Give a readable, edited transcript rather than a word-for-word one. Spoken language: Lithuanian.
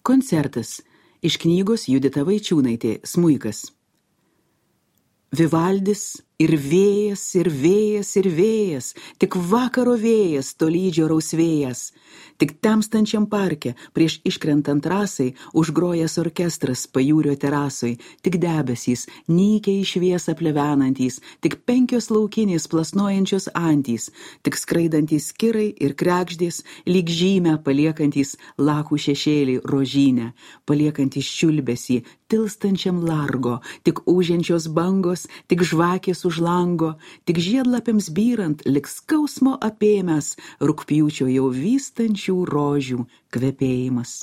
Koncertas iš knygos Judita Vaičiūnaitė Smuikas. Vivaldis ir vėjas, ir vėjas, ir vėjas, tik vakaro vėjas, tolydžio rausvėjas. Tik temstančiam parke, prieš iškrentant rasai, užgrojęs orkestras pajūrio terasoj, tik debesys, nykiai į šviesą plevenantys, tik 5 laukinės plasnojančios antys, tik skraidantys kirai ir krekždės, lyg žymę paliekantys lakų šešėlį rožynę, paliekantys čiulbesį, tilstančiam largo, tik ūžiančios bangos, tik žvakės už lango, tik žiedlapiams byrant, lik skausmo apėmęs, rugpjūčio jau vystančių rožių kvepėjimas.